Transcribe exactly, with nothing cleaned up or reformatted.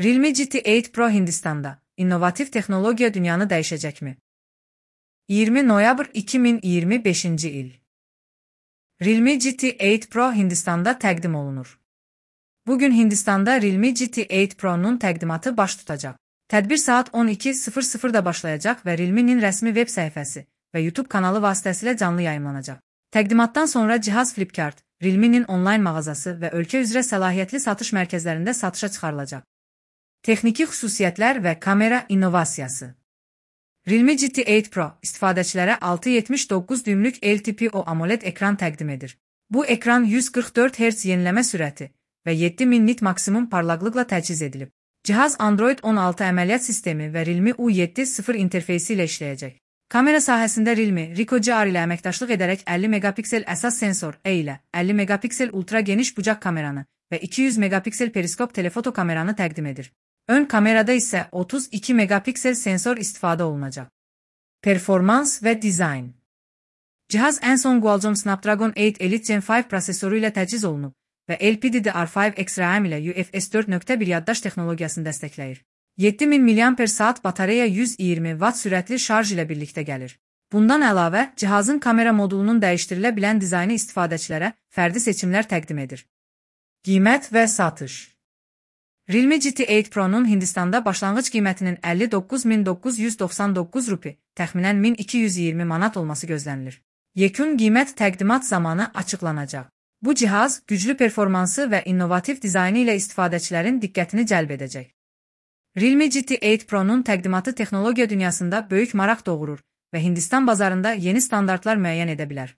Realme G T sekiz Pro Hindistan'da innovatif teknolojiya dünyanı dəyişəcəkmi? iyirmi noyabr iki min iyirmi beşinci il. Realme G T sekiz Pro Hindistan'da təqdim olunur. Bugün Hindistan'da Realme G T sekiz Pro'nun təqdimatı baş tutacaq. Tədbir saat on iki sıfır sıfırda başlayacaq və Realme'nin rəsmi web səhifəsi və YouTube kanalı vasitəsilə canlı yayımlanacaq. Təqdimatdan sonra cihaz Flipkart, Realme'nin onlayn mağazası və ölkə üzrə səlahiyyətli satış mərkəzlərində satışa çıxarılacaq. Texniki xüsusiyyətlər və kamera innovasiyası. Realme G T sekiz Pro istifadəçilərə altı yetmiş doqquz düymlük L T P O AMOLED ekran təqdim edir. Bu ekran yüz qırx dörd hertz yeniləmə sürəti və yeddi min nit maksimum parlaqlıqla təchiz edilib. Cihaz Android on altı əməliyyat sistemi və Realme U yeddi sıfır interfeysi ilə işləyəcək. Kamera sahəsində Realme Ricoh G R ilə əməkdaşlıq edərək əlli megapiksel əsas sensor E ilə əlli megapiksel ultra geniş bucaq kameranı və iki yüz megapiksel periskop telefoto kameranı təqdim edir. Ön kamerada isə otuz iki megapiksel sensor istifadə olunacaq. Performans və dizayn. Cihaz ən son Qualcomm Snapdragon eight Elite Gen beş prosesoru ilə təchiz olunub və L P D D R beş X RAM ilə U F S dörd nöqtə bir yaddaş texnologiyasını dəstəkləyir. yeddi min miliamper saat batareya yüz iyirmi watt sürətli şarj ilə birlikdə gəlir. Bundan əlavə, cihazın kamera modulunun dəyişdirilə bilən dizaynı istifadəçilərə fərdi seçimlər təqdim edir. Qiymət və satış. Realme G T sekiz Pro'nun Hindistanda başlanğıc qiymətinin əlli doqquz min doqquz yüz doxsan doqquz rupi, təxminən min iki yüz iyirmi manat olması gözlənilir. Yekun qiymət təqdimat zamanı açıqlanacaq. Bu cihaz güclü performansı və innovativ dizaynı ilə istifadəçilərin diqqətini cəlb edəcək. Realme G T sekiz Pro'nun təqdimatı texnologiya dünyasında böyük maraq doğurur və Hindistan bazarında yeni standartlar müəyyən edə bilər.